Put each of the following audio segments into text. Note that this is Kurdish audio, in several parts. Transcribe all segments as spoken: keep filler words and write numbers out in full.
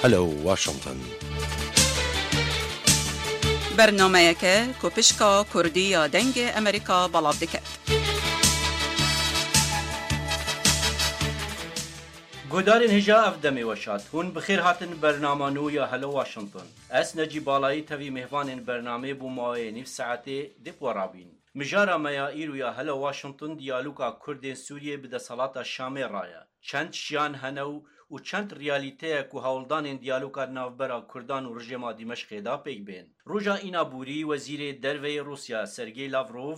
Hello Washington. Bernameyeke ku pişka Kurdî ya Dengê Amerîka belav dike. Guhdarên hêja, ev demê we şad. Hûn bi xêr hatin bernama nû ya Hello Washington. Ez Necîb Balayî tevî mêvanên bernamê bo maweyê nîv saetê dê bi we rabîn. Mijara me ya îro ya Hello Washington diyaloga Kurdên Sûriyê bi desthilata Şamê re ye. Çend şiyan hene û, û çend realîte ye ku hewldanên diyaloga di navbera Kurdan û rejêma Dîmeşqê de pêk bên. Roja îna borî Wezîrê Derve yê Rûsya Sergey Lavrov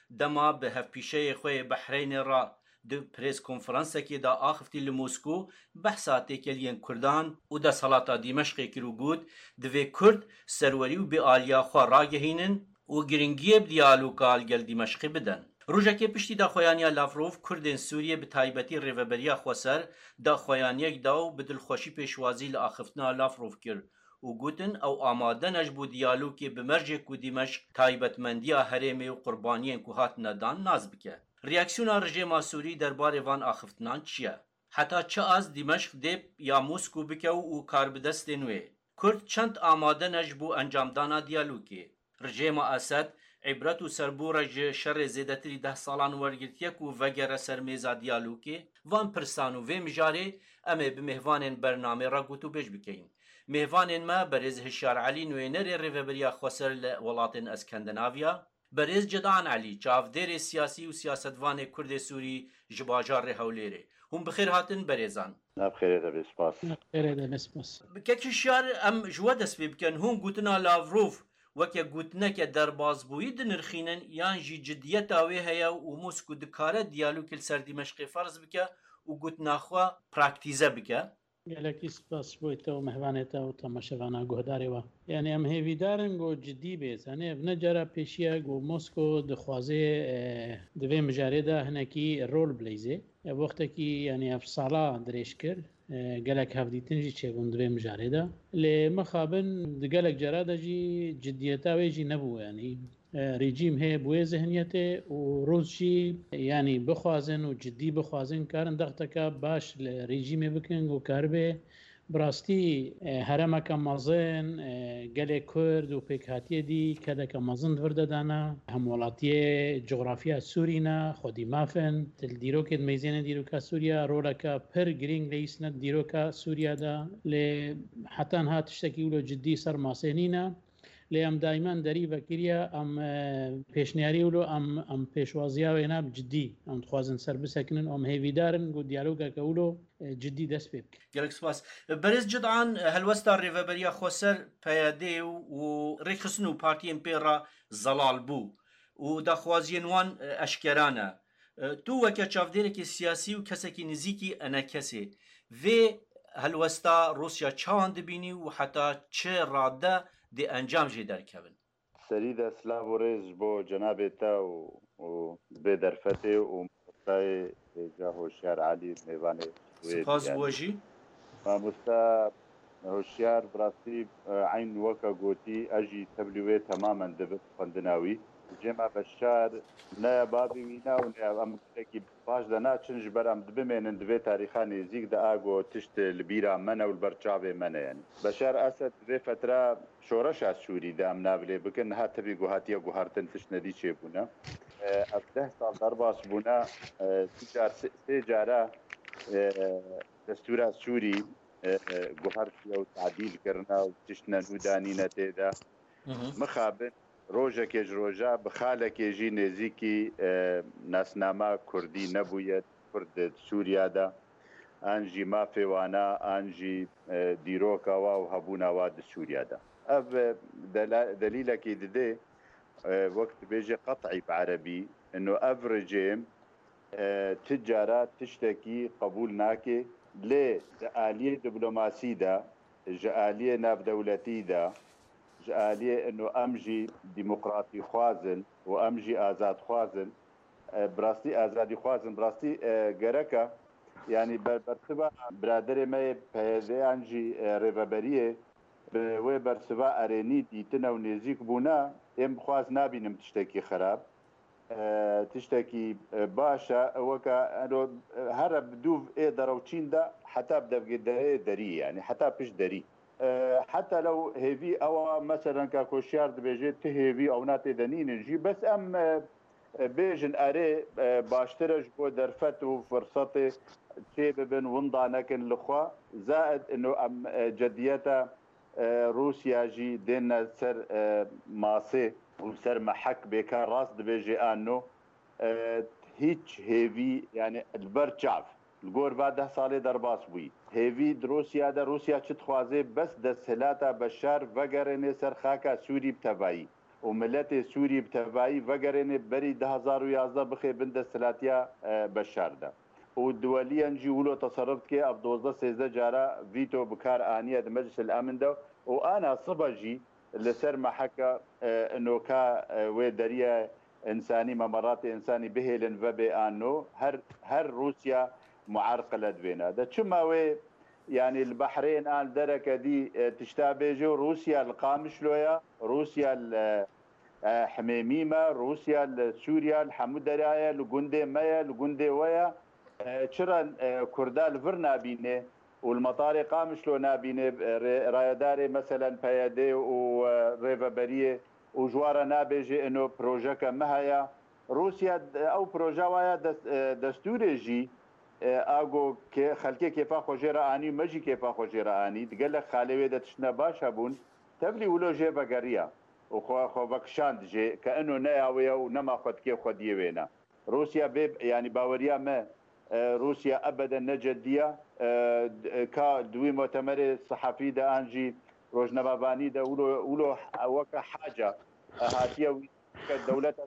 dema bi hevpîşeyê xwe yê Behreynê re di prêskonferansekê de axiftî li Moskow behsa têkeliyên Kurdan û desthilata Dîmeşqê kir û got, divê Kurd serwerî û bêaliya xwe ragehînin û giringiyê bi diyaloga li gel Dîmeşqê bidin. Rojekê piştî daxuyaniya Lavrov, Kurdên Sûriyê bi taybetî Rêveberiya Xweser daxuyaniyek da û bi dilxweşî pêşwazî li axiftina Lavrov kir û gotin, ew amade ne ji bo diyalogê bi mercê ku Dîmeşq taybetmendiya herêmê û qurbaniyên ku hatine dan nas bike. Reaksiyona rejêma Sûrî derbarê van axiftinan çi ye? Heta çi az Dîmeşq dê ya Moskow bike û, û karbidestên wê? Kurd çend amade ne ji bo encamdana diyalogê? Rejêma Esed îbret û serbûre ji şerê zêdetirî deh salan wergirtiye ku vegere ser mêza diyalogê? Van pirsan û vê mijarê em ê bi mêvanên bernamê re gotûbêj bikeyin. Mêvanên me berêz Hişyar Elî, nûnerê Rêveberiya Xweser li welatên Eskandinaviya, berêz Cedan Elî, çavdêrê siyasî û siyasetvanê Kurdê Sûrî ji bajarê Hewlêrê. Hûn bi xêr hatin berêzan. Nav xêrê de be, spas. Nav xêrê de be, spas. Kek Hişyar, em ji we dest pê bikin. Hûn gotina Lavrov weke gotineke derbazbûyî dinirxînin, yan jî cidiyeta wê heye û Moskow dikare diyalogê li ser Dîmeşqê ferz bike û gotina xwe praktîze bike? Gelekî spas ji bo te û mehvanê te û temaşevana guhdarê we. Yanî em hêvîdar in ku cidî bê. Zanî ev ne cara pêşî ye ku Moskow dixwaze, e, di vê mijarê de hinekî rol bileyzê. Ev wextekî, yanî ev sala dirêj kir. E, gelek hevdîtin jî çêbûn di vê mijarê de. Lê mixabin di gelek cara de jî cidiyeta wê jî nebû, yanî. E, rejîm hê bi wê zihniyetê û Rûs jî, yanî bixwazin û cidî bixwazin, karin dexteka baş li rejîmê bikin ku karibe bi rastî, e, herêmeke mezin, e, gelê Kurd û pêkhatiyê dî kedeke mezin di vir de dana. Hemwelatiyê, cografya Sûrî ne, xwedî maf in. Tu li dîrokê dimeyzêne dîroka Sûriya, roleke pir girîng leyîsne di dîroka Sûriya de. Lê heta niha tiştekî wilo cidî ser masê nîne. Lê em daimen derî vekiriye, em, e, pêşniyarî wilo, em, em pêşwaziya wê ne bi cidî. Em dixwazin ser bisekinin, em hêvîdar in ku diyalogeke wilo, e, cidî dest pê bike. Gelek spas. Berêz Cidan, helwesta Rêveberiya Xweser, P Y D û, û rêxistin û partiyên pê re zelal bû û daxwaziyên wan, e, eşkera ne. E, tu weke çavdêrekî siyasî û kesekî nizîkî enekesê, vê helwesta Rûsya çawan dibînî û heta çi rade dê encam jê derkevin? Serî de silav û rêz ji bo cenabê te û, û vê derfetê û mamostayê hêja Hoşyar Elî, mêvanê wê. Spas ji we jî. Mamosta Hoşyar, bi rastî, e, eyn weke gotî, ez jî tevlî wê temamen dibim xwendina wî. Cema Beşar ne ya babê wî ne û ne ya, em gelekî baş de naçin, ji ber em dibimênin di vê tarîxa nêzîk de a ku tişt li bîra me ne û li ber çavê me ne, yanî. Beşar Esed di vê fetra şoreşa Sûrî de em navilê bikin, niha tevî ku hatiye guhartin tişt nedî çêbûne. E, ev deh sal derbas bûne, e, du car, sê, sê cara, e, destûra Sûrî, e, e, guhertiye û tadîl kirine û tiştine nû danîne tê de. Hı hı. Mixabin rojekê ji roja bi xalekê jî nêzîkî, e, nasnama kurdî nebûye kurd di Sûriya de, an jî mafê wana, an jî, e, dîroka wa û hebûna wa di Sûriya de. Ev, e, dela-, delîlekî didê, e, wek dibêje qet'î bi erebî, ino ev rejîm, e, ti cara tiştekî qebûl nake, lê di aliyê diplomasî de, ji aliyê navdewletî de, ji aliyê ino em jî demokratîxwaz in û em jî azadxwaz in, e, bi rastî azadîxwaz in, bi rastî, e, gereke, yanî ber-, bersiva biraderê me yê P Y D'yan jî, e, rêveberiyê bi wê bersiva erênî dîtine û nêzîk bûne, êm bi xwe ez nabînim tiştekî xerab. e, tiştekî, e, baş e, weke eno, e, here bi dûv ê derew çîn de heta bi devgê derê derî, yanî heta pişt derî. E, heta lew hêvî ew a, meselen, ka Koşyar dibêje, ti hêvî ewna tê de nînin jî. Bes em, e, e, bêjin erê, e, baştir e ji bo derfet û firsetê çê bibin, winda nekin li xwe. Zaid ino em, e, cediyeta, e, Rûsya jî dêne ser, e, masê û ser mehek bêka rast dibêje anno, e, hîç hêvî, yani li ber çav, li gor va deh salê derbas bûyî. Hêvî di Rûsya de, Rûsya çi dixwaze, bes desthilata Beşar vegerêne ser xaka Sûrî bi tevayî û miletê Sûrî bi tevayî vegerêne berî du hazar û yazdeh bixê bin desthilatiya, e, Beşar de. Û duweliyen jî wilo teserruf dike, ev dozdeh sêzdeh cara vîto bi kar aniye di Meclis el Emin de û ana sibe jî li ser meheka, e, noka, e, wê deriya însanî, memeratê însanî bihêlin vebê an no, her, her Rûsya muerqile di vêna de. Çima wê, yanî li Behrênê an dereke dî, e, tişta bêje û Rûsya li Qamişlo ye, Rûsya li, e, Himêmî me, Rûsya li Sûriya, li hemû dera ye, li gundê me ye, li gundê we ye. E, çira, e, Kurda li vir nabîne û li metarê Qamişlo nabîne, e, rê-, rayedarê, meselen, P Y D û, e, rêveberiyê û ji wan re nabêje, ino projeke me heye. Rûsya, e, ew proje waya dest-, e, destûrê jî, e, a go kê-, xelkê kêfa xwe jê re anî û me jî kêfa xwe jê re anî. Di gelek xalê wê de tiştine baş hebûn. Tevlî wilo jê vegeriya û xwe, xwe vekişand jê ke ino ne ya wê ye û nema xwe dikê xwediyê wê ne. Rûsya bê, yanî baweriya me, e, Rûsya ebeden ne ceddiya, e, d-, e, ka di wî mutemerê sehafî de an jî rojnamevanî de wilo, wilo weke haca, e, hatiye wî ke dewleta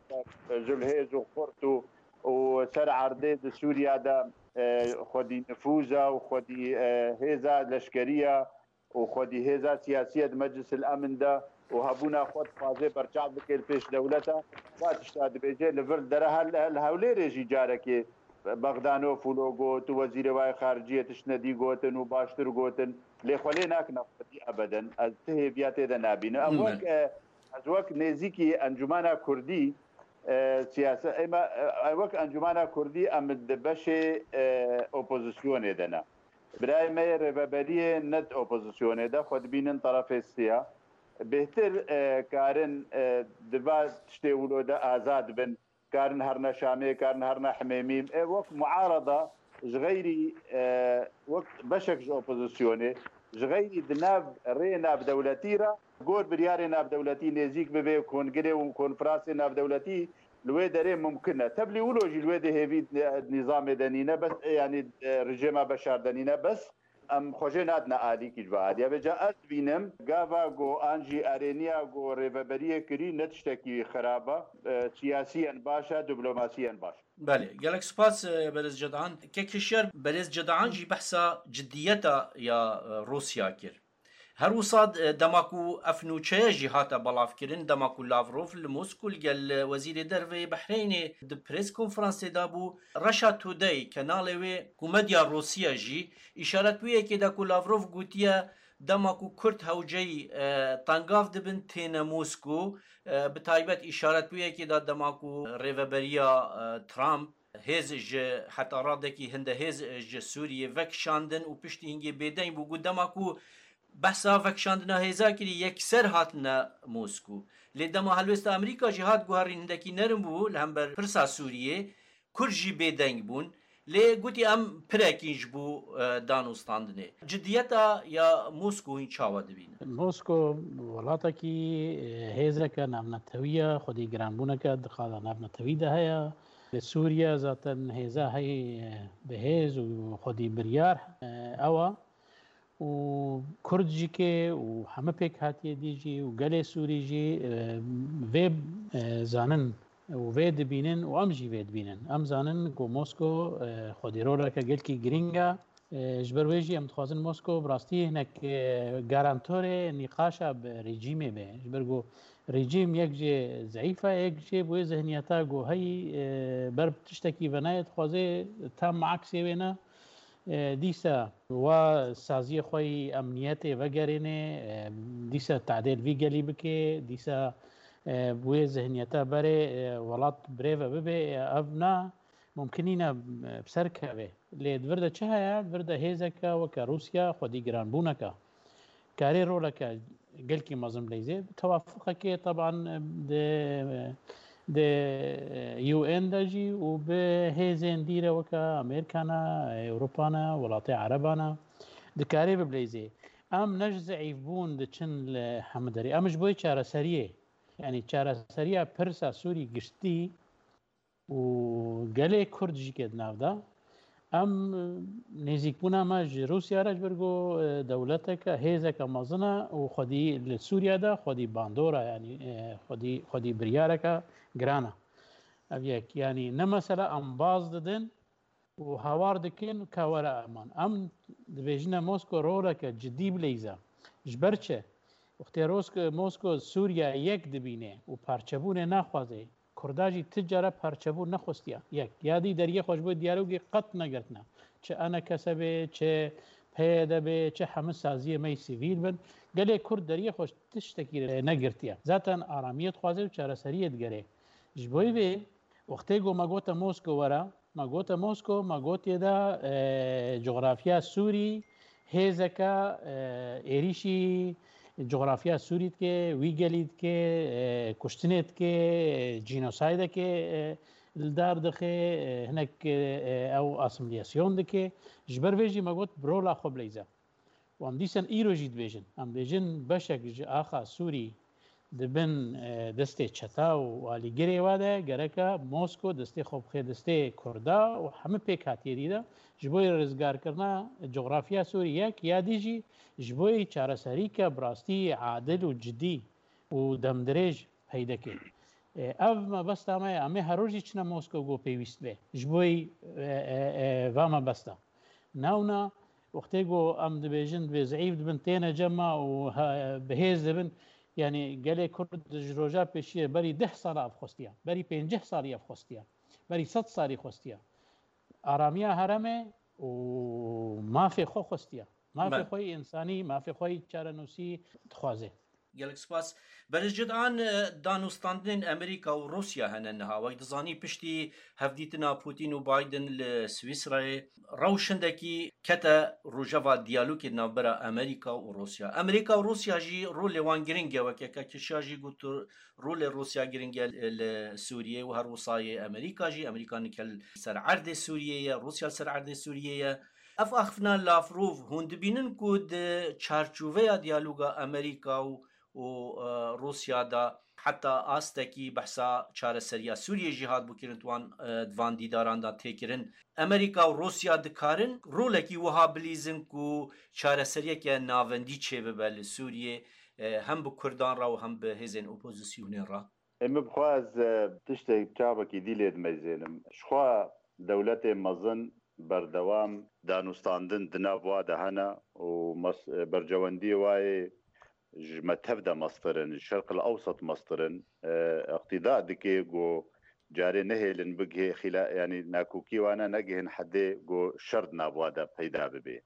ji hêz û xurt û, û ser erdê di Sûriya de, e, xwedî nifûza û xwedî, e, hêza leşkeriya û xwedî hêza siyasî ye di Meclis el Emin de û hebûna xwe dixwaze berçav bike li pêş dewleta. Va tişta dibêje, li vir dere hel, hel Hewlêrê jî carekê Bexdanof wilo got û wezîrê wayê xariciyê tiştine dî gotin û baştir gotin. Lê xwe lê nakine xwedî ebeden. Ez ti hêviya tê de nabînim. Em wek, e, ez wek nêzîkî Encûmena Kurdî, e, siyase-, ême, e, wek Encûmena Kurdî em di beşê, e, opozisyonê de ne. Birayê me yê rêveberiyê ne di opozisyonê de, xwe dibînin terefê siya. Bêhtir, e, karin, e, di va tiştê wilo de azad bin, karin herine Şamê, karin herine Himêmî. E, wek muarada ji xeyrî, e, wek beşek ji opozisyonê, ji xeyrî di nav rê navdewletî re gor biryarê navdewletî nêzîk bibe, kongirê û konferansê navdewletî li wê derê mumkin e. Tevlî wilo jî li wê di hêvî nîzamê de nîne, bes, e, yanî, e, rejîma Beşar de nîne, bes em xwe jê nadine alîkî ji vê alî. Vêca ez dibînim, gava ku an jî erêniya ku rêveberiyê kirî ne tiştekî xirab e, e, siyasiyen baş e, diplomasîyen baş. Belê, gelek spas, e, Berêz Cedan. Kek Hişyar, Berêz Cedan jî behsa ciddiyeta ya, e, Rûsya kir. Her wisa, e, dema ku ev nûçeye jî hate belavkirin, dema ku Lavrov li Moskû li gel, e, wezîrê derveyê Behreynê di press konferansê de bû, Russia Today, kenalê wê ku medya Rûsiya jî, îşaretbûyekê de ku Lavrov gotiye, dema ku Kurd hewceyî, e, tengav dibin têne Moskû, e, bi taybet îşaretbûyekê de dema ku rêveberiya, e, Trump, hêz ji heta radekî hinde hêz ji Sûriyê vekişandin û piştî hingê bêdeng bû, got dema ku behsa vekişandina hêza kirî, yekser hatine Moskû. Lê dema helwêsta Amerîka jî hat guherîn, hindekî nerm bû li hember pirsa Sûriyê, Kurd jî bêdeng bûn. Lê gotî em pirekîn ji bo, e, danûstandinê. Cidiyeta ya Moskû hîn çawa dibînin? Moskû welatekî, e, hêzeke navnetewî ye, xwedî giranbûneke di qada navnetewî de heye. Li Sûriye zaten hêza heyî, e, bi hêz û xwedî biryar, e, ew e. Û Kurd jî ke û heme pêkhatiyê dî jî û gelê Sûrî jî, e, vê, e, zanin û vê dibînin û em jî vê dibînin. Em zanin ku Mosko, e, xwedî roleke gelkî girîng e. E, ji ber wê jî em dixwazin Mosko bi rastî hinek, e, garantorê nîqaşa bi rejîmê be. Ji ber ku rejîm yek jê zeîf e, yek jê bi wê zihniyeta ku heyî, e, ber bi tiştekî venayê dixwaze tam aksê wê ne. E, dîsa wa saziyê xwe yî emniyetê vegerêne, e, dîsa tadê li vî gelî bike, dîsa e, bi wê zihniyeta berê, e, welat birêve bibe, e, ev na mumkinî ne, e, bi ser keve. Lê di vir de çi heye? Di vir de hêzeke weke Rûsya xwedî giranbûneke. Karê roleke gelkî mezin bileyzê. Bi tewafuqekê teban, e, di, di U N de jî û bi hêzên dîre weke Amerîkana, Ewropana, welatê Erebana dikarê bibileyzê. Em ne ji zeîfbûn diçin li hemû derê. Em ji bo yê çareseriyê, yanî çareseriya pirsa Sûrî giştî û gelê Kurd jî ke di nav de, em nêzîkbûna me ji Rûsya re ji ber ku, e, dewleteke, hêzeke mezin e û xwedî li Sûriye de xwedî bandora, yanî, e, xwedî, xwedî biryareke giran e. Ev yek, yanî ne mesela em baz didin, û hawar dikin ka were eman. Em dibêjine Mosko roleke cidî bileyze. Ji ber çi? Wextê Rosk-, Mosko Sûriye yek dibîne û parçebûnê naxwaze, Kurda jî ti cara parçebûn nexwestiya. Yek, ya dî deriyê xwe ji bo diyalogê qet negirtine. Çi E N K S bê, çi P Y D bê, çi hemû saziyê me yê sivîl bin. Gelê Kurd deriyê xwe ji tiştekî negirtiye. Zaten aramiyê dixwaze û çareseriyê digere. Ji bo vê, wextê ku me gote Mosko were, me gote Mosko, me gotiye de, e, coxrafya Sûrî hêzeke, e, êrîşî coxrafya Sûrî dike, wî gelî dike, e, kuştinê dike, e, cînosaydeke, e, li dar dixe, e, hinek, e, ew asîmîlasyon dike. Ji ber vê jî me got bi rola xwe bileyze. Û em dîsan îro jî dibêjin. Em dibêjin beşek ji axa Sûrî di bin, e, destê çeta û alîgirê wa de, gereke Mosko destê xwe bixe destê Kurda û hemû pêkhatiyê dî de ji bo rizgarkirina coxrafya Sûrî yek, ya dî jî ji bo çareserîke bi rastî adil û cidî û demdirêj peyde kê. E, ev mebesta me ye, em ê her rojî çine Mosko ku pêwîst be. Ji bo, e, e, e, va mebesta. Newna, wextê ku em dibêjin, dibê zeîf dibin, têne cem me û he-, bi hêz dibin, yanî gelê Kurd ji roja pêşiyê berî deh sala ev xwestiya, berî pênceh salî ev xwestiya, berî sed salî xwestiya. Aramiya heremê û mafê xwe xwestiya. Mafê Me- xwe yê însanî, mafê xwe yê çarenûsî dixwaze. Gelek spas. Berêz Cidan, e, danûstandinên Amerîka û Rûsya hene niha. Wek dizanî, piştî hevdîtina Putin û Biden li Swîsrayê, rewş hindekî kete rojeva diyalogê di navbera Amerîka û Rûsya. Amerîka û Rûsya jî rolê wan giring e, weke ke kişiya jî got, rolê Rûsya giring e li Sûriyê û her wisa yê Amerîka jî. Amerîka nike li ser erdê Sûriyê ye, Rûsya li ser erdê Sûriyê ye. Ev axiftina Lavrov, hûn dibînin ku di çarçoveya diyaloga Amerîka û û, e, Rûsya de heta astekî behsa çareseriya Sûriyê jî hat bikirin, di wan, e, di van dîdaran de tê kirin. Amerîka û Rûsya dikarin rolekî wiha bilîzin ku çareseriyeke navendî çêbibe li Sûriyê, e, hem bi Kurdan re û hem bi hêzên opozîsyonê re? Ê, min bixwe ez, e, tiştek çavekî dî lê dimeyzênim. Jixwe dewletê mezin berdewam danûstandin di nav wa de hene û mes-, e, bercewendiyê wa yê ji me tev de mestir in, ji Şerq el Ewsat mestir in. E, îqtîda dike ku carê nehêlin bigihê xîla-, yanî nakokî wana negihin hedê ku şer di nav wa de peyda bibe.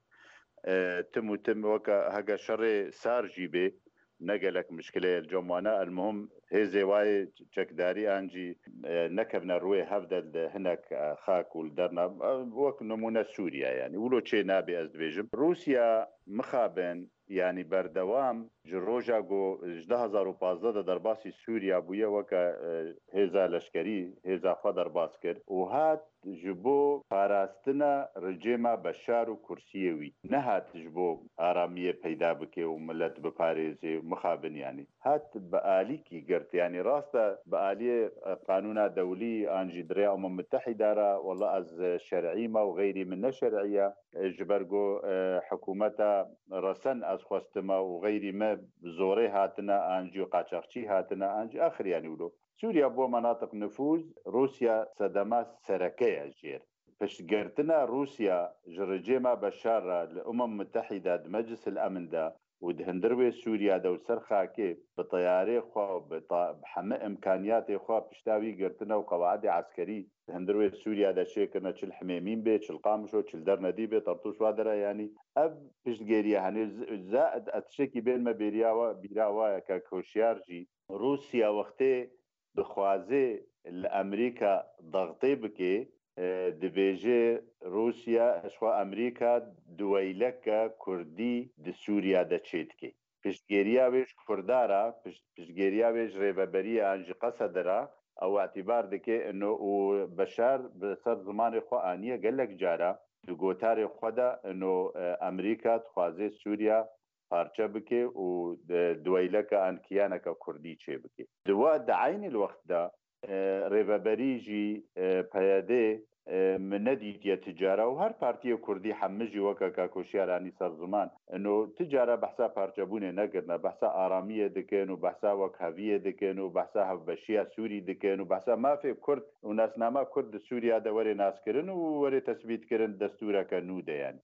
E, tim û tim weke heke şerê sar jî bê, ne gelek mişkile ye li cem wana. El muhim hêzê wayê çekdarî an jî, e, nekevne rûyê hev de li hinek, e, xak û li derna, e, wek nimûne Sûriye, yanî wilo çê nabê ez dibêjim. Rûsya mixabin, yanî berdewam ji roja ku ji du hezar û pazdeh de derbasî Sûriya bûye, weke, e, hêza leşkerî hêza xwe derbas kir û hat ji bo parastina rejêma Beşar û kursiyê wî. Nehat ji bo aramiyê peyda bike û milet biparêzê û mixabin, yanî. Hat bi alîkî girt, yanî rast e bi aliyê, e, qanûna dewlî an jî di rêya Umem Mitehîda re, wela ez şer'î me û xeyrî min ne şer'î ye. E, ji ber ku, e, hikûmeta resen ez xwestime û xeyrî me bi zorê hatine, an jî qaçaxçî hatine, an jî axir, yanî wilo. Sûriya bo menatiq nifûz, Rûsya sedema sereke ye jêr. Piştgirtina Rûsya ji rejêma Beşar re li Umem Mitehîde di Meclis el Emin de û di hundir wê Sûriya de û ser xakê bi teyarê xwe û bi ta-, bi heme imkaniyatê xwe pişta wî girtine û qewaidê eskerî di hundir wê Sûriya de çêkirine, çi li Himêmîn bê, çi li Qamişo, çi li Dernedî bê, Tertûş wa dera, yanî ev piştgêriye. Henê z-, za-, ez tiştekî bên me bêriya wa, bîra wa ye, Kak Hoşyar jî Rûsya wextê dixwaze li Amerîka dextê bike, e, dibêje Rûsya, ji xwe Amerîka duweyleke Kurdî di Sûriya de çêdike. Piştgêriya wê ji Kurda re, piş-, piştgêriya wê ji rêveberiyê an ji Qesede re, ew îtîbar dike ino û Beşar bi ser zimanê xwe aniye gelek cara di gotarê xwe de ino, e, Amerîka dixwaze Sûriya parçe bike û, e, duweyleke an kiyaneke Kurdî çê bike. Di wa, di eynî wextda, e, rêveberî jî, e, P Y D, e, min nedîtiye ti cara û her partiyê Kurdî hemî jî weke Kak Hoşyar anî ser ziman. Ino ti cara behsa parçebûnê nekirine, behsa aramiyê dikin û behsa wekheviyê dikin û behsa hevbeşiya Sûrî dikin û behsa mafê Kurd û nasnama Kurd di Sûriya de were naskirin û were tesbîtkirin destûreke nû de, yanî.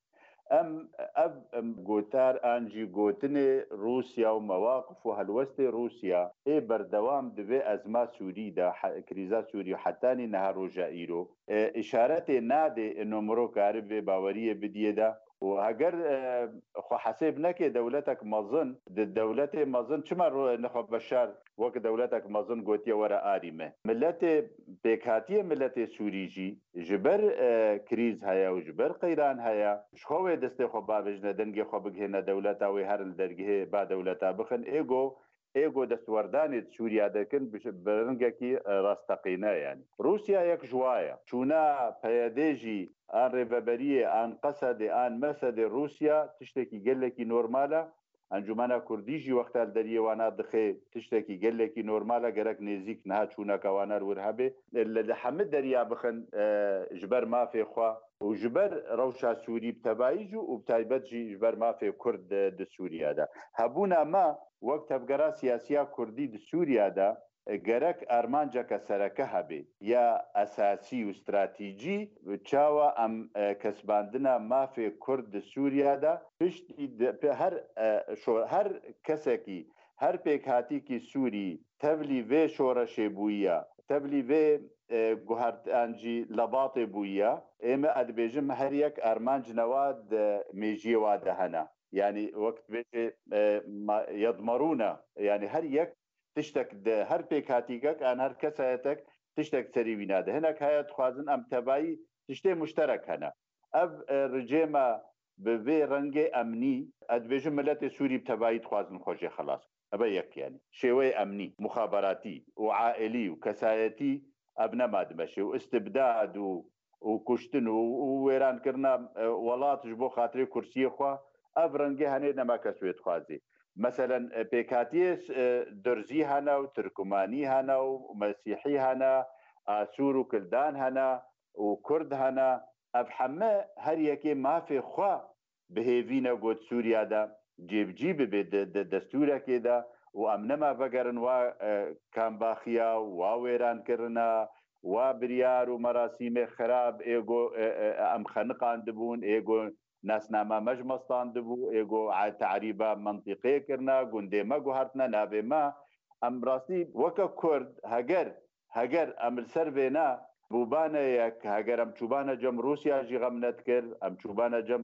Em, ev, em, gotar an jî gotinê Rûsya û mewaqif û helwestê Rûsya ê berdewam di vê ezma Sûrî de, he-, krîza Sûrî hetanî niha roja îro, e, îşaretê nade ino miro karibe baweriyê bidiyê de û heger, e, xwe hesêb neke dewletek mezin, di dewletê mezin çima ro-, nexwe Beşar wek dewletek mezin gotiye were arî me. Miletê, pêkhatiye miletê Sûrî jî ji ber, e, krîz heye û ji ber qeyran heye, ji xwe wê destê xwe bavêjine, dengê xwe bigihêne dewleta wê, herin li dergehê ba dewleta bixin. Êgo, êgo destwerdanê di Sûriya de kin, bi, bi ringekî, e, rasteqîne, yanî. Rûsya yek ji wa ye. Çûna P Y D jî an rêveberiyê, an Qesedê, an Mesedê Rûsya tiştekî gelekî normal e. Encûmena Kurdî jî wexta li deriyê wana dixe tiştekî gelekî normal e, gerek nêzîk niha çûneke wana li wir hebe. Li, li hemî deriya bixin, e, ji ber mafê xwe û ji ber rewşa Sûrî bi tevayî jî û bi taybet jî ji ber mafê Kurd di, di Sûriya de. Hebûna me wek tevgera siyasiya Kurdî di Sûriya de, e, gerek armanceke sereke hebe ya esasî û stratejî, çawa em, e, kesbandina mafê Kurd di Sûriya de piştî di, pe-, her, e, şo-, her kesekî, her pêkhatîkî Sûrî tevlî vê şoreşê bûyiya, tevlî vê, e, guhert-, an jî lebatê bûyiya, ê me, ez dibêjim, her yek armanc newa di mêjiyê wa de hene. Yanî wek dibêje, e, ma-, yedmerûne, yanî her yek tiştek di her pêkhatîkek an her kesayetek tiştek serî wî nade. Hinek heye dixwazin em tevayî tiştê muşterek hene. Ev, e, ricê me bi vê rengê emnî, ez dibêjim miletê Sûrî bi tevayî dixwazin xwe jê xelas. Eve yek, yanî şêweyê emnî, muxaberatî û aîlî û kesayetî ev nema dimeşê û istibdad û û kuştin û, û wêrankirina, e, welat ji bo xatirê kursiyê xwe, ev rengê henê nema kes wê dixwazê. Meselen, e, pêkhatiyê, e, Durzî hene û Tirkumanî hene û Mesîhî hene, Asûr û Kildan hene û Kurd hene. Ev heme her yekê mafê xwe bi hêvî ne got Sûriya de cêbicî bibe di, di destûrekê de û em nema vegerin wa, e, kambaxiya, wa wêrankirina, wa biryar û merasîmê xirab ê go, e, e, em xeniqandibûn, ê go nasnama me ji me standibû, ê go a-, terîba mentîqê kirina, gundê me guhertine, navê me. Em rastî weke Kurd, heger, heger em li ser vêna bûbane yek, heger em çûbane cem Rûsya jî xem nedikir, em çûbane cem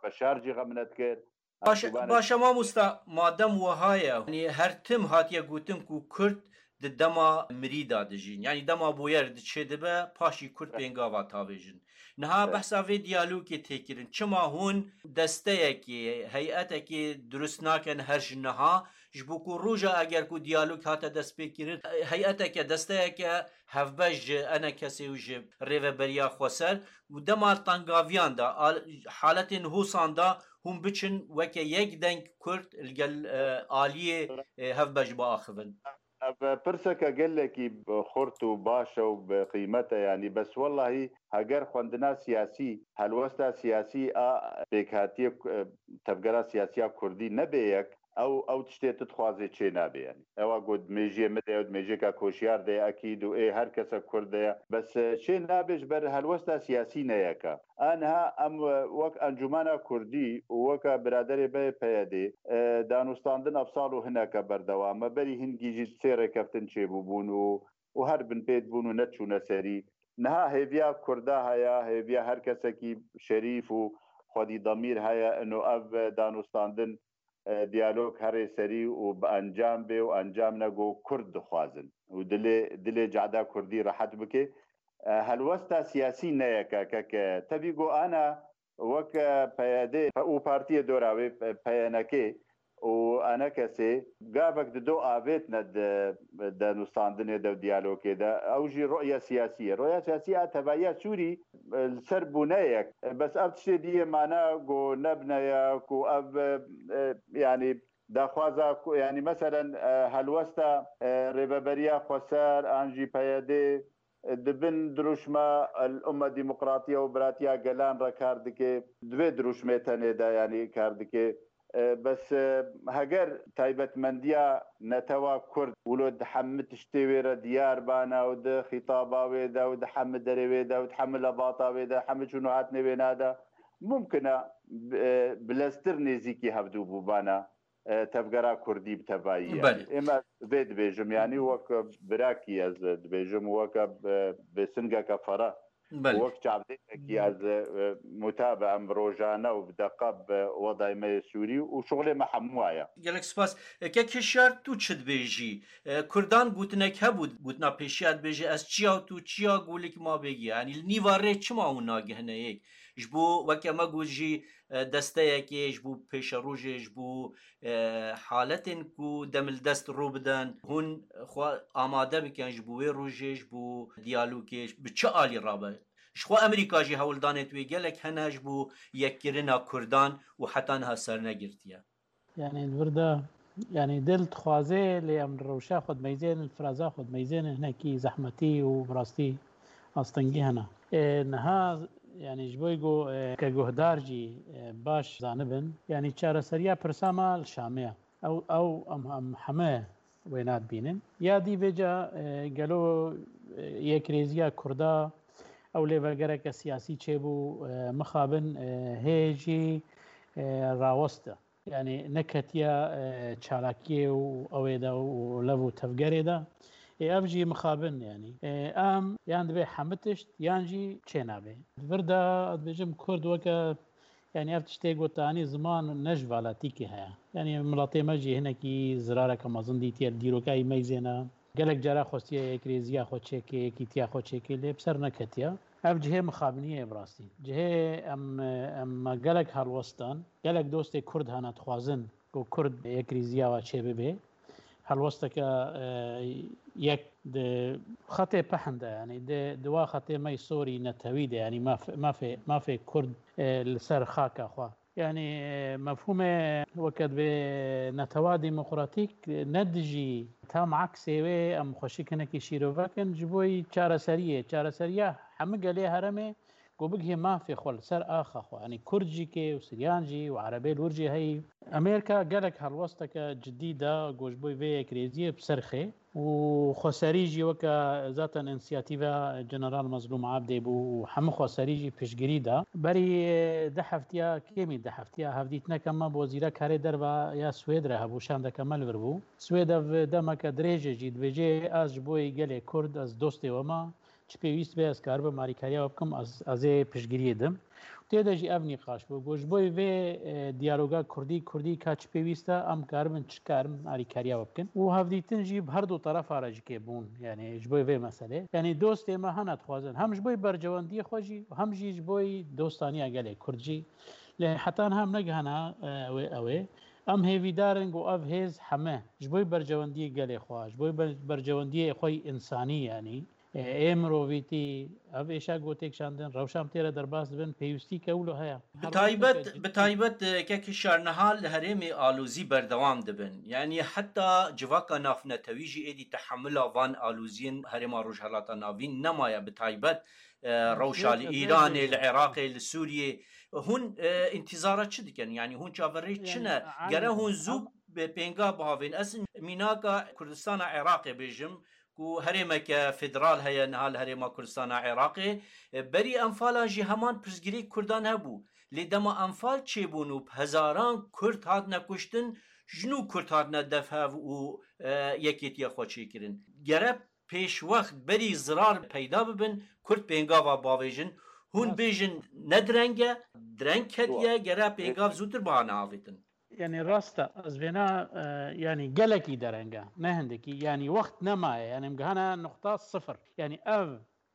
Beşar jî xem nedikir. Baş, Erdogan baş e mamosta, madem wiha ye, yanî her tim hatiye gotin ku Kurd di dema mirî de dijîn, yanî dema boyer diçê dibe, paşî Kurd pêngava tavêjin. Niha Evet. behsa vê diyalogê tê kirin. Çima hûn desteyekê, heyetekê dirust nakin her ji niha? Ji bo ku roja eger ku diyalog hate destpêkirin, heyeteke, desteyeke hevbeş ji enekesê û ji rêveberiya xweser û dema tengaviyan de, al-, haletên hosan de hûn biçin weke yek deng Kurd li gel, e, aliyê, e, hevbeş biaxivin? Ev pirseke gelekî xurt û baş e û bi qîmet e, yanî, bes wellahî heger xwendina siyasî, helwesta siyasî a pêkhatiyê, e, tevgera siyasiya Kurdî nebe yek, Ew, ew tiştê tu dixwazê çê nabe, yanî. Ewa got, di mêjiyê min de ye, di mêjiyeka koşiyar de ye, ekîd û ê her kesek Kurd de ye. Bes, e, çê nabe ji ber helwesta siyasî ne yek e. A niha em, e, wek Encûmena Kurdî û weke biraderê me yê P Y D, e, danûstandin ev sal û hineke berdewam e. Berî hingî jî sê rêkeftin çêbûbûn û, û her binpêt bûn û neçûne serî. Niha hêviya Kurda heye, hêviya her kesekî şerîf û xwedî demîr heye, ino ev, e, danûstandin e, diyalog herê serî û bi encam bê û encam ne ku Kurd dixwazin û dilê, dilê cehda Kurdî rehet bike. E, helwesta siyasî ne yek e, keke. Tevî ku ana wek, e, P Y D û partiyê dora wê, e, P Y N K û A N K S gavek dido avêtne di, di nûstandinê de û diyalogê de. Ew jî roya siyasî ye. Roya siyasî a tevahiya Sûrî, e, li ser bûne yek. E, bes ev tiştê diyê mana ku nebine ye, ku ev, e, e, yanî daxwaza ku, yanî meselen, e, helwesta, e, Rêveberiya Xweser an jî P Y D, e, di bin dirûşma El Umma Demokratiya û Biratiya Gelan re kar dike, di vê dirûşmê tenê de yanî kar dike. E, bes, e, heger taybetmendiya netewa Kurd wilo di hemî tiştê wê re diyar bana û di xîtaba wê de û di hemî derê wê de û di hemî levata wê de, hemî çûn û hatinê wê nade, mumkin e, e, bileztir nêzîkî hevdû bûbana, e, tevgera Kurdî bi tevayî, yanî. Belê. Ême vê dibêjim, yanî wek birakî ez dibêjim, weke, e, bêsingeke fere. Belê. Wek çavdêrekî ez, e, mutabe em rojane û bi deqa bi wedayê me yê Sûrî û şixulê me hemû aya. Gelek spas. E, kek Hişyar, tu çi dibêjî? E, Kurdan gotinek hebû, gotina pêşiya dibêje, ez çiya û tu çiya, golik ma bêgiya. Yanî li nîva rê çima hûn nagihine yek? Ji bo weke me got jî, e, desteyekê, ji bo pêşerojê, ji bo, e, haletên ku demildest rû bidin, hûn xwe amade bikin ji bo wê rojê, ji bo diyalogê, bi çi alî rabe? Ji xwe Amerîka jî hewldanê wê gelek hene ji bo yekkirina Kurdan û heta niha sernegirtiye. Yanî li vir de, yanî dil dixwaze, lê em li rewşa xwe dimeyzênin, li firaza xwe dimeyzênin, hinekî zehmetî û bi rastî astengî hene. Ê, niha, yanî ji bo ku, ê, ke guhdar jî, ê, baş zanibin, yanî çareseriya pirsa me li Şamê ye. Ew, ew em, em heme wêna dibînin. Ya dî vêca, e, gelo, e, yekrêziya Kurda ew lêvegereke siyasî çêbû, e, mixabin, e, hê jî, e, raweste. Yanî neketiye, e, çalakiyê û ew ê de û lev û tevgerê de. Ê, ev jî mixabin, yanî. E, em yan divê hemî tişt yan jî çênabe. Di vir de dibêjim Kurd weke Yanî ev tiştê gotanî ziman ne ji valatîkê heye. Yanî miletê me jî hinekî zirareke mezin dîtiye, li dîroka wî meyzêne. Gelek cara xwestiye yekrêziya xwe çêke, yekîtiya xwe çêke, lê bi ser neketiye. Ev cihê mixabiniyê ye bi rastî. Cihê em, em me gelek helwestan, gelek dostê Kurd hene dixwazin ku Kurd yekrêziya we çêbibe. Helwesteke, e, yek di xetê pehn de, yanî di, di wa xetê me yê sorî netewî de, yanî maf-, mafê, mafê Kurd, e, li ser xaka xwe. Yanî, e, mefhûmê weke divê netewa demokratîk, e, ne dijî, tam aksê wê em xweşik hinekî şîrove kin, ji bo yî çareseriyê, çareseriya hemû gelê herêmê, ku bigihê mafê xwe li ser axa xwe. Yanî Kurd jî kê û Siryan jî û Erebê li wir jî heyî. Amerîka gelek helwesteke cidî da ku ji bo vê yekrêziyê bi ser xê û xweserî jî weke zaten însiyatîva General Mezlûm Abdê bû û hemû xweserî jî piştgirî da. Berî, e, du heftiya, kêmî du heftiya, hevdîtineke me bi wezîra karê derve ya Swêd re hebû, şandeke me li vir bû. Swêd ev demeke dirêj e jî dibêje, ez ji bo yê gelê Kurd, ez dostê we me, çi pêwîst be ez karibim alîkariya we bikim, ez, ez ê piştgiriyê dim. Tê de jî ev nîqaş bû. Got, ji bo vê, e, diyaloga Kurdî, Kurdî ka çi pêwîst e, em karibin çi karin alîkariya we bikin. Û hevdîtin jî bi her du terefa re jî kê bûn, yanî ji bo vê meselê. Yanî dostê me hene dixwazin, hem ji bo berjewendiyê xwe jî, hem jî ji bo dostaniya gelê Kurd jî. Lê heta niha em negihana, e, wê, ew ê. Em hêvîdar in ku ev hêz heme ji bo berjewendiyê gelê xwe, ji bo ber-, berjewendiyê xwe yî însanî, yanî, e, ê mirovîtî, ev êşa ku têkişandin, rewşa em tê re derbas dibin, pêwîstî ke wilo heye. Bi taybet, bi taybet, e, kek Hişyar, niha li herêmê alozî berdewam dibin. Yanî heta civaka navnetewî jî êdî tehemila van aloziyên herêma Rojhelata Navîn nemaye, bi taybet, e, rewşa li Îranê, li Iraqê, li Sûriyê. Hûn, e, întîzara çi dikin? Yanî hûn çaverê çi ne? Gere hûn zû bi pênga bihavên. Ez mînaka Kurdistana Iraqê bêjim ku herêmeke federal heye niha li Herêma Kurdistana Iraqê. E, berî Enfalan jî heman pirsgirêk Kurdan hebû. Lê dema Enfal çêbûn û bi hezaran Kurd hatine kuştin, ji nû Kurd hatine defhev û, e, yekêtiya xwe çêkirin. Gere pêşwext berî zirar peyda bibin, Kurd pêngava bavêjin. Hûn Rast. bêjin ne direng e, direng ketiye, Doğru. gere pêngav zûtir bihane avêtin. Yani rast e, ez vêna, e, yani gelekî dereng e, ne hindikî, yani wext nemaye, yani em gihane nuqta sifir. Yani ev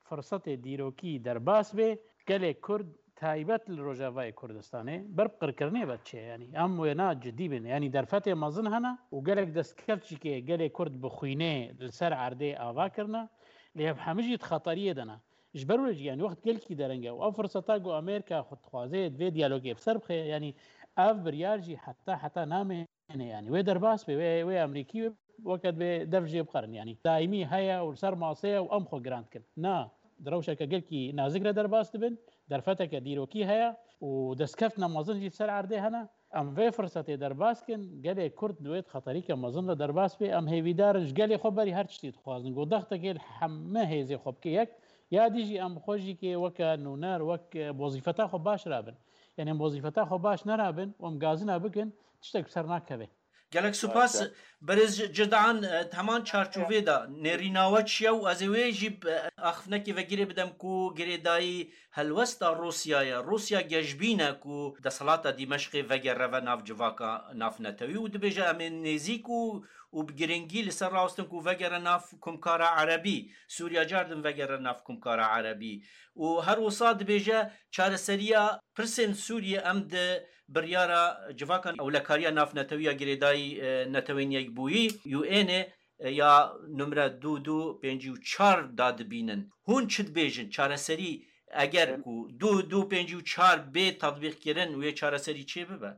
firsetê dîrokî derbas bê, gelê Kurd taybet li Rojavayê Kurdistanê ber bi qirkirinê ve diçe, yani em wêna cidî bin. Yani derfetê mezin hene û gelek destkeftçîkê gelê Kurd bi xwînê li ser erdê ava kirine, lê ev hemî jî di xeteriyê de ne. Ji ber wê jî, yani wext gelkî dereng e û ev firseta ku Amerîka xwe dixwaze di vê diyalogê bi ser bixe, yani ev biryar jî heta heta namê yani wê derbas be, wê, wê Amerîkî wê weke divê dev jê bixerin. Yani daîmî heye û li ser masê ye û em xwe giran dikin. Na, di rewşeke gelkî nazik re derbas dibin, derfeteke dîrokî heye û destkeftina mezin jî li ser erdê hene. Em vê firsetê derbas kin, gelê Kurd di wê xeterîke mezin de derbas bê. Em hêvîdar in, ji gelê xwe berî her tiştî dixwazin. Ku dextekê li heme hêzê xwe bike yek, ya dî jî em bi xwe jî kê weke nûner, wek, e, wezîfeta xwe baş rabin. Yani em wezîfeta xwe baş nerabin û em gazina bikin, tiştek bi ser nakeve. Gelek spas. Harika. Berêz Cidan, e, heman çarçovê de nêrîna we çi ye û ez ê wê jî, e, axiftinekê vegirê bidim ku girêdayî helwesta Rûsya ye. Rûsya geşbîn e ku desthilata Dîmeşqê vegere ve nav civaka navnetewî û dibêje em ê nêzîk û, û bi girîngî li ser rawestin ku vegere nav Komkara Erebî. Sûriya cardin vegere nav Komkara Erebî. Û her wisa dibêje çareseriya pirsên Sûriyê em di biryara civaka ewlekariya navnetewî ya girêdayî, e, Netewên Yekbûyî, U N ê, e, ya numre du du pêncî û çar da dibînin. Hûn çi dibêjin? Çareserî eger Em- ku du du pêncî û çar bê tatbîqkirin, wê çareserî çê bibe?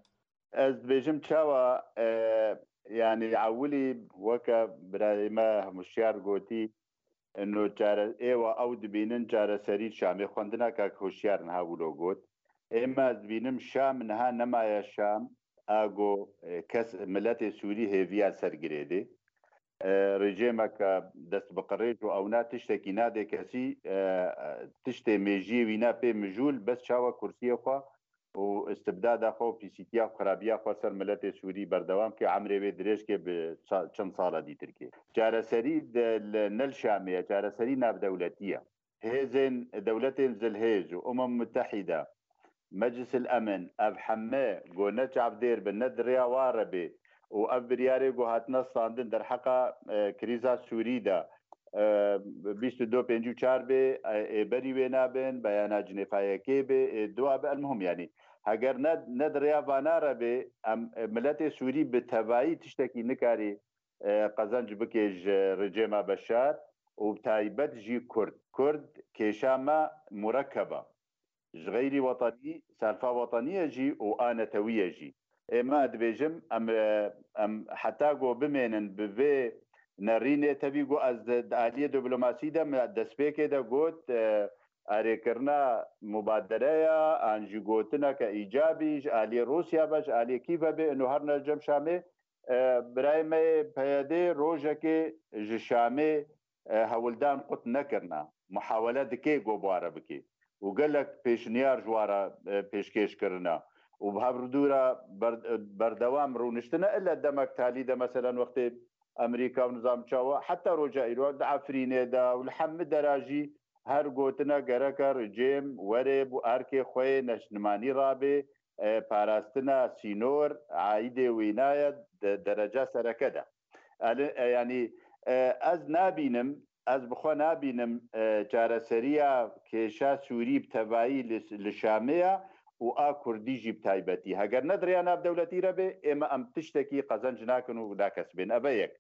Ez dibêjim çawa, e, yani ewilî weke birayê me Hemûşyar gotî, no çare-, êwa ew dibînin çareserî Şamê xwendina kak Hoşyar niha wilo got. Ê me ez dibînim Şam niha nemaye Şam, a go, e, kes miletê Sûrî hêviya ser girêdê. E, rejêmeke dest bi qirêj û ewna tiştekî nadê kesî, e, tiştê mêjiyê wîna pê mijûl bes çawa kursiyê xwe û istibdada xwe û pîsîtiya xwe, xirabiya xwe ser miletê Sûrî berdewam ke, emrê wê dirêj ke bi ça-, çend sala dîtir ke. Çareserî de li, ne li Şamê ye, çareserî navdewletî ye. Hêzên dewletên zilhêz û Umem Mutehîde, Meclis el Emin, ev heme go ne çavdêr bin, ne di rêya wa re bê û ev biryarê go hatine standin derheqa, e, krîza Sûrî de, e, bîst û du pêncî û çar bê, e, ê berî wê nabin, beyana Cinêfa yekê bê, ê dua be, elmuhim, yanî, heger ne, ne di rêya vana re bê, em, e, miletê Sûrî bi tevayî tiştekî nikarî, e, qezenc bike ji rejêma Beşar û bi taybet jî Kurd. Kurd kêşa me murekkeb e. Ji xeyrî wetenî, selfa wetenî ye jî û a netewî ye jî. Ê me dibêjim, em, e, em heta ku bimênin bi vê nerînê, tevî ku ez di, di aliyê diplomasî de me destpêkê de got, e, erêkirina mubadereya, an jî gotineke îcabî ji aliyê Rûsya be, ji aliyê Kîve bê, ino her ne li cem Şamê, e, birayê me yê P Y D rojekê ji Şamê, e, hewldan qut nekirine. Muhawele dike go bi wa re bike. Û gelek pêşniyar ji wa re, e, pêşkêş kirine. Û bi hev re dû re ber-, e, berdewam rûniştine. Ile demek talî de, meselen, wextê Amerîka û nizam çawa, heta roja îro di Efrînê de û li hemî dera jî her gotine gereke rejêm were bo erkê xwe yê neştimanî rabe, e, parastina sînor, aîdê wîna ye di dereca sereke de. Eli-, e, yanî, e, ez nabînim, ez bi xwe nabînim, e, çareseriya kêşa Sûrî bi tevayî li, li Şamê ye û a Kurdî jî bi taybetî. Heger ne di rêya navdewletî re bê, ê me em tiştekî qezenc nakin û nakesibên. Ev e yek.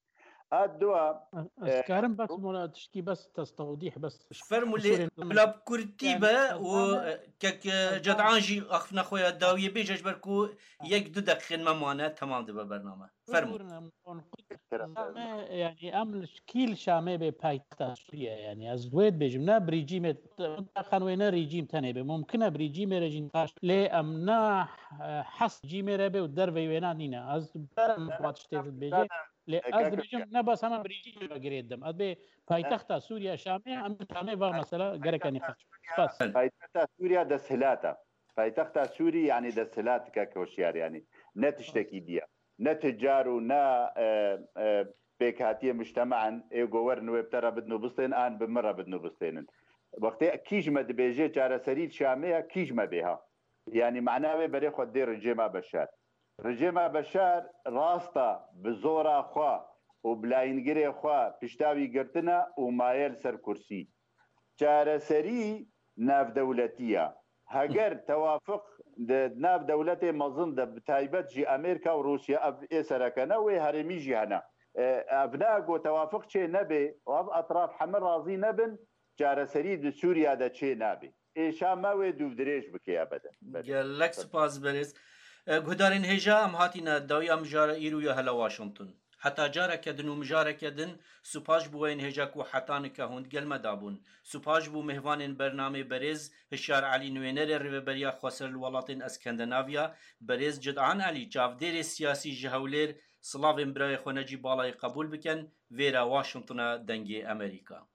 A dua Ez karim bes mola tişkî bes testewdîh bes. Fermû lê bila bi kurtî be û kek Cedan jî axifina xwe ya dawiyê bêje ji ber ku yek du deqîqên me mane temam dibe bername. Fermû. Zame yani em kî li Şamê bê paytexta Sûriye yani ez wê dibêjim ne brîcîmê xan wê ne rîcîm tenê bê mumkin e brîcîmê re jî taş lê em na hes cîmê re bê û dervey wêna nîne ez berem vat tiştê dibêje lê ez dibêjim ne bes hema brîcîmê re girê dim ez bê paytexta Sûriye Şamê em Şamê va mesela gereke nîqaş. Spas. Paytexta Sûriye desthilata. Paytexta Sûrî yani desthilata kek hoşyar yani. Ne tiştekî diye. Ne ticar û ne e, e, pêkhatiyê mujtemaan ê go werin wê bi te re bidin û bistên an bi min re bidin û bistênin. Wextê kî ji me dibêje çareserî li Şamê ye kî ji me bê ha. Yani mana wê berê xwe dê rejêma Beşar. Rejêma Beşar rasta bi zora xwe û bi layîngirê xwe pişta wî girtine û maye li ser kursî. Çareserî navdewletî ya. Heger tewafiq di nav dewletê mezin de bi taybet jî Amerîka û Rûsya ev ê sereke ne wê herêmî jî hene. E, ev ne ku tewafiq çê nebê û ev etraf heme razî nebin, çareserî di Sûriya de çê nabê. Êşa me wê dûvdirêj bike ebeden. Belê. Gelek spas berêz. E, Guhdarên hêja em hatîne dawiya mijara îro ya hela Washington. Heta careke din û mijareke din, supaş bo weyên hêja ku heta nika hûn digel me dabûn. Supaş bo mêvanên bernamê berêz Hişyar Elî nûênerê Rêveberiya Xweser li welatên Eskandinaviya, berêz Cidan Elî çavdêrê siyasî ji Hewlêr, silavên birayê xwe Necîb Balayê qebûl bikin, vêra Washingtona Dengê Amerîka.